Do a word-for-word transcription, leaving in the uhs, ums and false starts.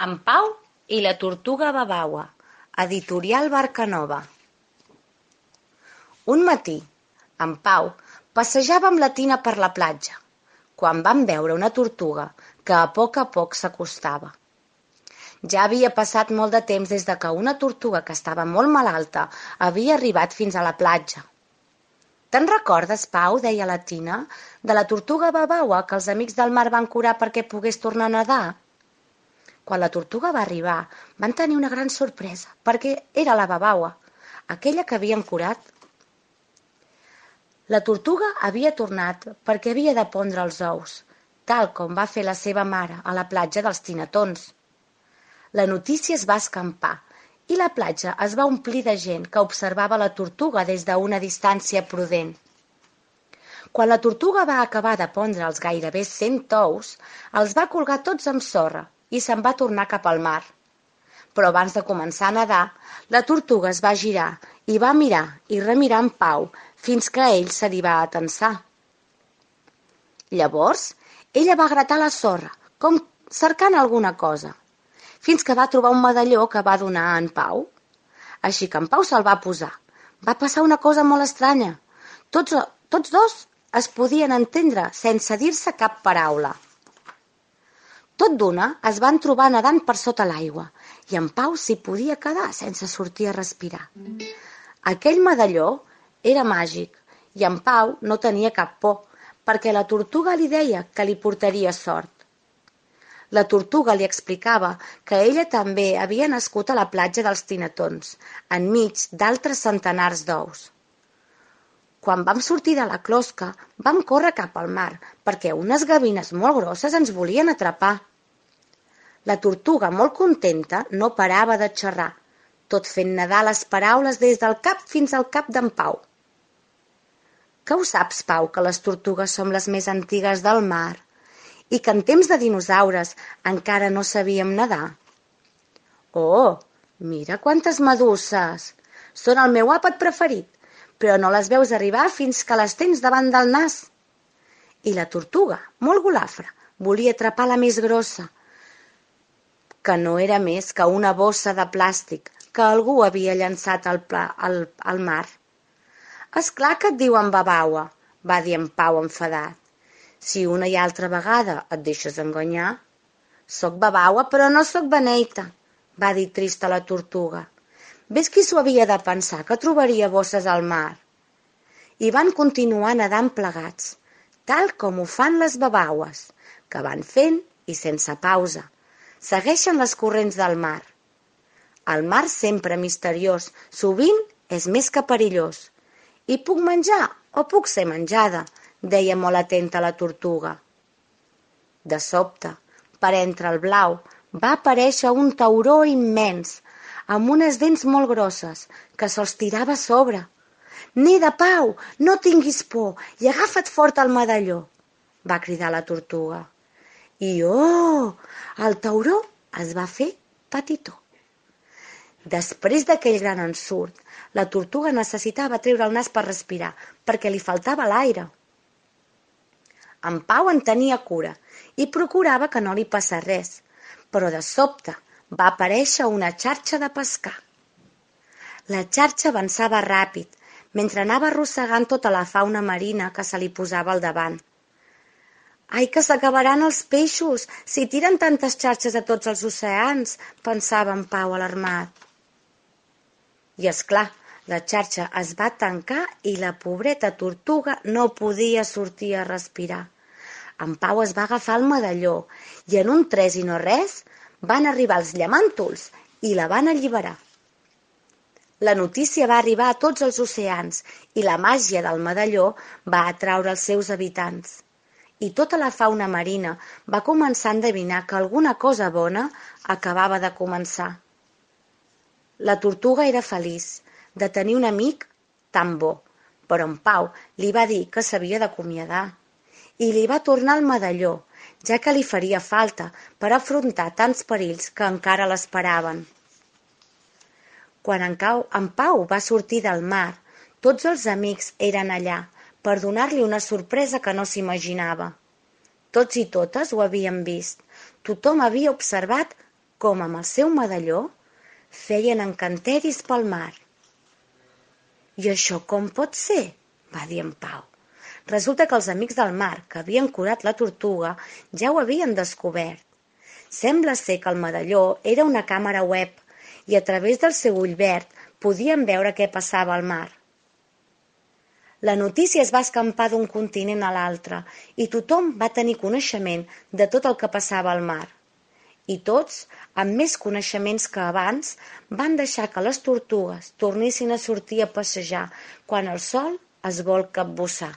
En Pau i la tortuga babaua, editorial Barcanova. Un matí, en Pau passejava amb la Tina per la platja, quan van veure una tortuga que a poc a poc s'acostava. Ja havia passat molt de temps des de que una tortuga que estava molt malalta havia arribat fins a la platja. «Te'n recordes, Pau?» deia la Tina, «de la tortuga babaua que els amics del mar van curar perquè pogués tornar a nedar?» Quan la tortuga va arribar, van tenir una gran sorpresa, perquè era la babaua, aquella que havien curat. La tortuga havia tornat perquè havia de pondre els ous, tal com va fer la seva mare a la platja dels Tinetons. La notícia es va escampar i la platja es va omplir de gent que observava la tortuga des d'una distància prudent. Quan la tortuga va acabar de pondre els gairebé cent ous, els va colgar tots amb sorra i se'n va tornar cap al mar. Però abans de començar a nedar, la tortuga es va girar i va mirar i remirar en Pau fins que ell se li va atensar. Llavors, ella va gratar la sorra, com cercant alguna cosa, fins que va trobar un medalló que va donar a en Pau. Així que en Pau se'l va posar. Va passar una cosa molt estranya. Tots, tots dos es podien entendre sense dir-se cap paraula. Tot d'una es van trobar nedant per sota l'aigua i en Pau s'hi podia quedar sense sortir a respirar. Aquell medalló era màgic i en Pau no tenia cap por perquè la tortuga li deia que li portaria sort. La tortuga li explicava que ella també havia nascut a la platja dels Tinetons, enmig d'altres centenars d'ous. Quan vam sortir de la closca, vam córrer cap al mar, perquè unes gavines molt grosses ens volien atrapar. La tortuga, molt contenta, no parava de xerrar, tot fent nedar les paraules des del cap fins al cap d'en Pau. Que ho saps, Pau, que les tortugues som les més antigues del mar i que en temps de dinosaures encara no sabíem nedar? Oh, mira quantes meduses! Són el meu àpat preferit, però no les veus arribar fins que les tens davant del nas. I la tortuga, molt golafra, volia atrapar la més grossa, que no era més que una bossa de plàstic que algú havia llançat al, pla, al, al mar. «És clar que et diuen babaua», va dir en Pau enfadat. «Si una i altra vegada et deixes enganyar...» «Soc babaua, però no soc beneita», va dir trista la tortuga. «Ves qui s'ho havia de pensar, que trobaria bosses al mar?» I van continuar nedant plegats, tal com ho fan les babaues, que van fent i sense pausa. Segueixen les corrents del mar. El mar, sempre misteriós, sovint és més que perillós. «I puc menjar o puc ser menjada?», deia molt atenta la tortuga. De sobte, per entre el blau, va aparèixer un tauró immens, amb unes dents molt grosses, que se'ls tirava a sobre. «Neda, Pau, no tinguis por i agafa't fort el medalló», va cridar la tortuga. I oh, el tauró es va fer petitó. Després d'aquell gran ensurt, la tortuga necessitava treure el nas per respirar, perquè li faltava l'aire. En Pau en tenia cura i procurava que no li passés res, però de sobte va aparèixer una xarxa de pescar. La xarxa avançava ràpid, mentre anava arrossegant tota la fauna marina que se li posava al davant. «Ai, que s'acabaran els peixos, si tiren tantes xarxes a tots els oceans», pensava en Pau alarmat. I és clar, la xarxa es va tancar i la pobreta tortuga no podia sortir a respirar. En Pau es va agafar el medalló i en un tres i no res van arribar els llamàntols i la van alliberar. La notícia va arribar a tots els oceans i la màgia del medalló va atraure els seus habitants. I tota la fauna marina va començar a endevinar que alguna cosa bona acabava de començar. La tortuga era feliç de tenir un amic tan bo, però en Pau li va dir que s'havia d'acomiadar i li va tornar el medalló, ja que li faria falta per afrontar tants perills que encara l'esperaven. Quan en Pau va sortir del mar, tots els amics eren allà per donar-li una sorpresa que no s'imaginava. Tots i totes ho havien vist. Tothom havia observat com amb el seu medalló, feien encanteris pel mar. «I això com pot ser?», va dir en Pau. Resulta que els amics del mar, que havien curat la tortuga, ja ho havien descobert. Sembla ser que el medalló era una càmera web i a través del seu ull verd podien veure què passava al mar. La notícia es va escampar d'un continent a l'altre i tothom va tenir coneixement de tot el que passava al mar. I tots, amb més coneixements que abans, van deixar que les tortugues tornessin a sortir a passejar quan el sol es vol capbussar.